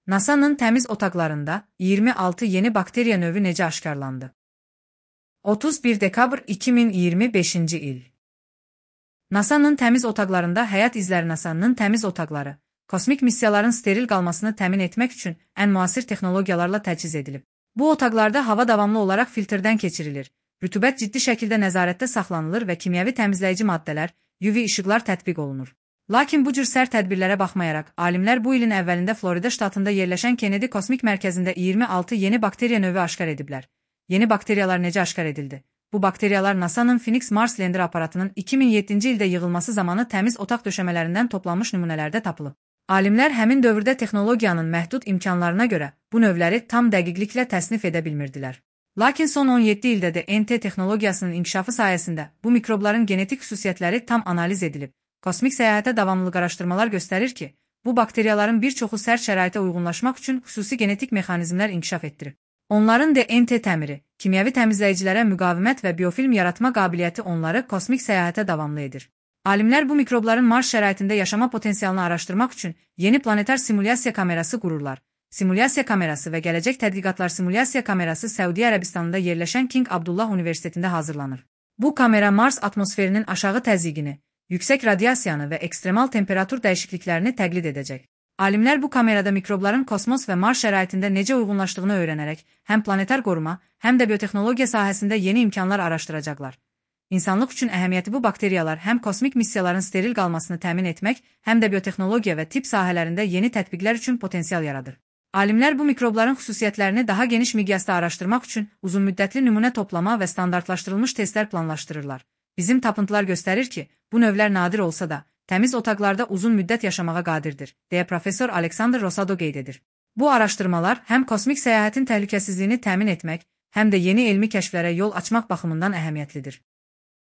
NASA'nın təmiz otaqlarında 26 yeni bakteriya növü necə aşkarlandı? 31 dekabr 2025-ci il. NASA'nın təmiz otaqlarında həyat izləri. NASA'nın təmiz otaqları, kosmik missiyaların steril qalmasını təmin etmək üçün ən müasir texnologiyalarla təchiz edilib. Bu otaqlarda hava davamlı olaraq filtrdən keçirilir, rütubət ciddi şəkildə nəzarətdə saxlanılır və kimyəvi təmizləyici maddələr, UV işıqlar tətbiq olunur. Lakin bu cür sərt tədbirlərə baxmayaraq, alimlər bu ilin əvvəlində Florida ştatında yerləşən Kennedy Kosmik Mərkəzində 26 yeni bakteriya növü aşkar ediblər. Yeni bakteriyalar necə aşkar edildi? Bu bakteriyalar NASA'nın Phoenix Mars Lander aparatının 2007-ci ildə yığılması zamanı təmiz otaq döşəmələrindən toplanmış nümunələrdə tapılıb. Alimlər həmin dövrdə texnologiyanın məhdud imkanlarına görə bu növləri tam dəqiqliklə təsnif edə bilmirdilər. Lakin son 17 ildə də NT texnologiyasının inkişafı sayəsində bu mikrobların genetik xüsusiyyətləri tam analiz edilib. Kosmik səyahətə davamlılıq araşdırmalar göstərir ki, bu bakteriyaların bir çoxu sərt şəraitə uyğunlaşmaq üçün xüsusi genetik mexanizmlər inkişaf etdirib. Onların DNT təmiri, kimyəvi təmizləyicilərə müqavimət və biofilm yaratma qabiliyyəti onları kosmik səyahətə davamlı edir. Alimlər bu mikrobların Mars şəraitində yaşama potensialını araşdırmaq üçün yeni planetar simulyasiya kamerası qururlar. Simulyasiya kamerası və gələcək tədqiqatlar simulyasiya kamerası Səudiyyə Ərəbistanında yerləşən King Abdullah Universitetində hazırlanır. Bu kamera Mars atmosferinin aşağı təzyiqini, yüksək radiasiyanı və ekstremal temperatur dəyişikliklərini təqlid edəcək. Alimlər bu kamerada mikrobların kosmos və Mars şəraitində necə uyğunlaşdığını öyrənərək həm planetar qoruma, həm də biotexnologiya sahəsində yeni imkanlar araşdıracaqlar. İnsanlıq üçün əhəmiyyəti bu bakteriyalar həm kosmik missiyaların steril qalmasını təmin etmək, həm də biotexnologiya və tibb sahələrində yeni tətbiqlər üçün potensial yaradır. Alimlər bu mikrobların xüsusiyyətlərini daha geniş miqyasda araşdırmaq üçün uzunmüddətli nümunə toplama və standartlaşdırılmış testlər planlaşdırırlar. Bizim tapıntılar göstərir ki, bu növlər nadir olsa da, təmiz otaqlarda uzun müddət yaşamağa qadirdir, deyə professor Alexander Rosado qeyd edir. Bu araşdırmalar həm kosmik səyahətin təhlükəsizliyini təmin etmək, həm də yeni elmi kəşflərə yol açmaq baxımından əhəmiyyətlidir.